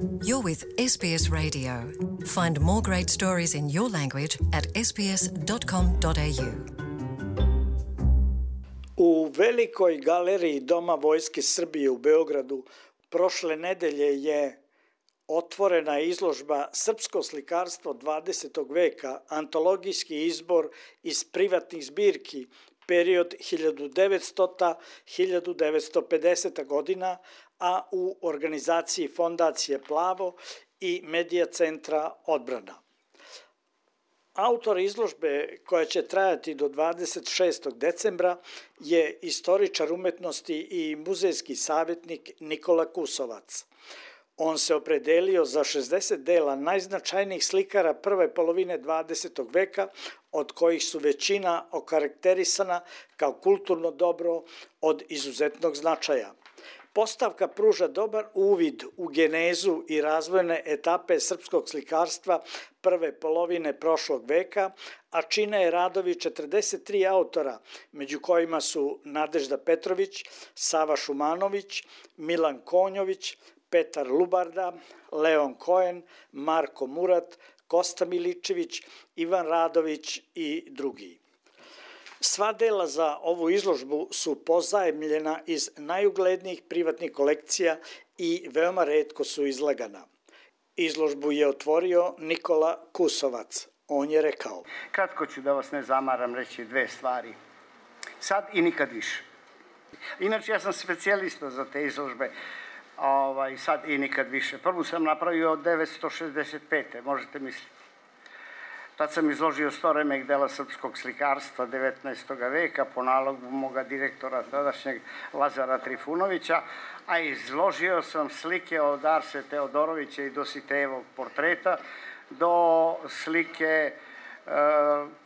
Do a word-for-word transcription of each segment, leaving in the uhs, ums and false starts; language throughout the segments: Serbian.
You're with S B S Radio. Find more great stories in your language at s b s dot com dot a u. U velikoj galeriji Doma Vojske Srbije u Beogradu prošle nedelje je otvorena izložba Srpsko slikarstvo dvadesetog veka, antologijski izbor iz privatnih zbirki, period hiljadu devetstota do hiljadu devetsto pedeseta godina, a u organizaciji Fondacije Plavo i Medija centra Odbrana. Autor izložbe, koja će trajati do dvadeset šestog decembra, je istoričar umetnosti i muzejski savjetnik Nikola Kusovac. On se opredelio za šezdeset dela najznačajnijih slikara prve polovine dvadesetog veka, od kojih su većina okarakterisana kao kulturno dobro od izuzetnog značaja. Postavka pruža dobar uvid u genezu i razvojne etape srpskog slikarstva prve polovine prošlog veka, a čine je radovi četrdeset tri autora, među kojima su Nadežda Petrović, Sava Šumanović, Milan Konjović, Petar Lubarda, Leon Koen, Marko Murat, Kosta Miličević, Ivan Radović i drugi. Sva dela za ovu izložbu su pozajemljena iz najuglednijih privatnih kolekcija i veoma retko su izlagana. Izložbu je otvorio Nikola Kusovac. On je rekao: Kratko ću, da vas ne zamaram, reći dve stvari. Sad i nikad više. Inače, ja sam specijalista za te izložbe. Ovaj, sad i nikad više. Prvu sam napravio od devetsto šezdeset pete. možete misliti. Tad sam izložio sto remek dela srpskog slikarstva devetnaestog veka po nalogu moga direktora tadašnjeg Lazara Trifunovića, a izložio sam slike od Arse Teodorovića i Dositejevog portreta do slike e,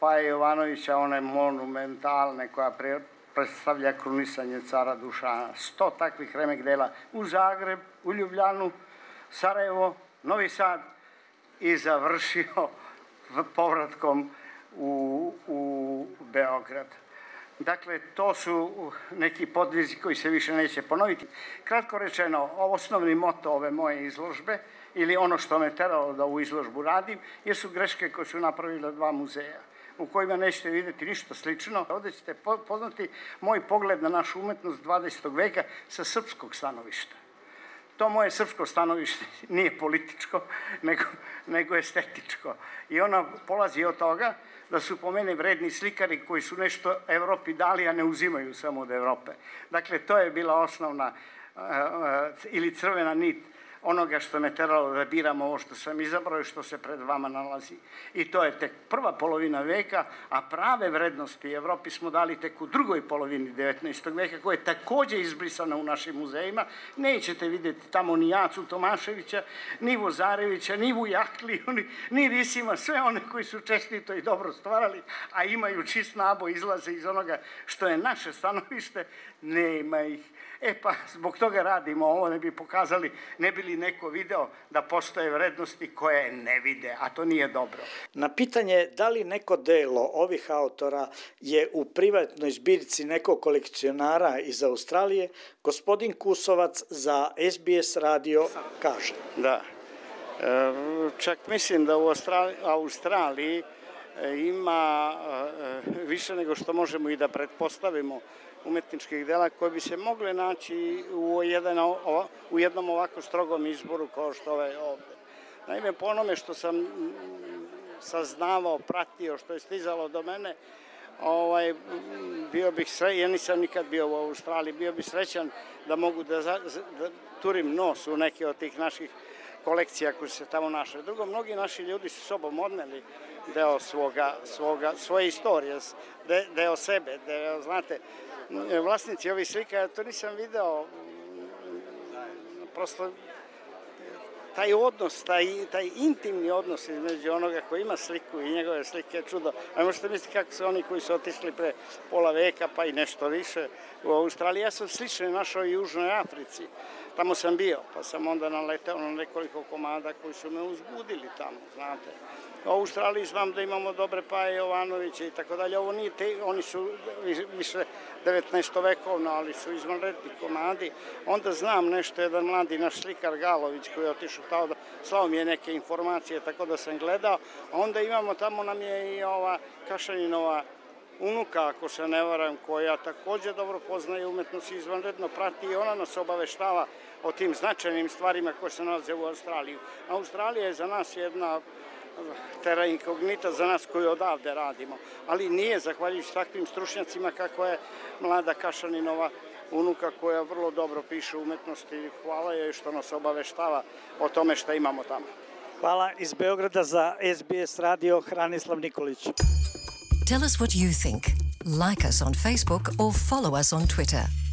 Paje Jovanovića, one monumentalne koja pre, predstavlja krunisanje cara Dušana. Sto takvih remek dela u Zagreb, u Ljubljanu, Sarajevo, Novi Sad i završio povratkom u, u Beograd. Dakle, to su neki podvizi koji se više neće ponoviti. Kratko rečeno, osnovni moto ove moje izložbe, ili ono što me teralo da ovu izložbu radim, jesu greške koje su napravila dva muzeja, u kojima nećete vidjeti ništa slično. Ovdje ćete poznati moj pogled na našu umetnost dvadesetog veka sa srpskog stanovišta. To moje srpsko stanovište nije političko, nego, nego estetičko. I ono polazi od toga da su po mene vredni slikari koji su nešto Evropi dali, a ne uzimaju samo od Evrope. Dakle, to je bila osnovna uh, uh, ili crvena nit onoga što me teralo da biram ovo što sam izabrao i što se pred vama nalazi. I to je tek prva polovina veka, a prave vrednosti Evropi smo dali tek u drugoj polovini devetnaestog veka, koja je takođe izbrisana u našim muzejima. Nećete vidjeti tamo ni Jacu Tomaševića, ni Vozarevića, ni Vujakliju, ni, ni Risima, sve one koji su čestito i dobro stvarali, a imaju čist naboj, izlaze iz onoga što je naše stanovište, nema ih. E pa, zbog toga radimo ovo, ne bi pokazali, ne bi li neko video da postoje vrednosti koje ne vide, a to nije dobro. Na pitanje da li neko delo ovih autora je u privatnoj zbirci nekog kolekcionara iz Australije, gospodin Kusovac za S B S radio kaže. Da, e, čak mislim da u Australiji, Australiji ima e, više nego što možemo i da pretpostavimo umetničkih dela koje bi se mogle naći u, jedan, u jednom ovako strogom izboru kao što je ovde. Naime, po onome što sam saznavao, pratio, što je stizalo do mene, ovaj, bio bih srećan, ja nisam nikad bio u Australiji, bio bih srećan da mogu da, da turim nos u neke od tih naših kolekcija koje se tamo našle. Drugo, mnogi naši ljudi su sobom odneli deo svoga, svoga, svoje istorije, de, deo sebe, deo, znate, vlasnici ovih slika, ja to nisam video, prosto taj odnos, taj, taj intimni odnos između onoga koji ima sliku i njegove slike je čudo. A možete misliti kako su oni koji su otišli pre pola veka pa i nešto više u Australiji. Ja sam slične našao i u Južnoj Africi. tamo sam bio, pa sam onda naletao na nekoliko komada koji su me uzbudili tamo, znate. U Australiji znam da imamo dobre Paje Jovanovića i tako dalje, ovo nije te, oni su više devetnaestovekovno, ali su izvanredni komadi. Onda znam nešto, jedan mladi naš slikar Galović koji je otišao tamo, da, slao mi je neke informacije, tako da sam gledao. A onda imamo, tamo nam je i ova Kašaninova unuka, ako se ne varam, koja takođe dobro poznaje umetnost i izvanredno prati i ona nas obaveštava o tim značajnim stvarima koje se nalaze u Australiji. Australija je za nas jedna terra incognita, za nas koji odavde radimo, ali nije zahvaljujući takvim stručnjacima kako je mlada Kašaninova unuka koja vrlo dobro piše umetnosti. Hvala joj što nas obaveštava o tome što imamo tamo. Hvala. Iz Beograda za S B S radio Hranislav Nikolić. Tell us what you think. Like us on Facebook or follow us on Twitter.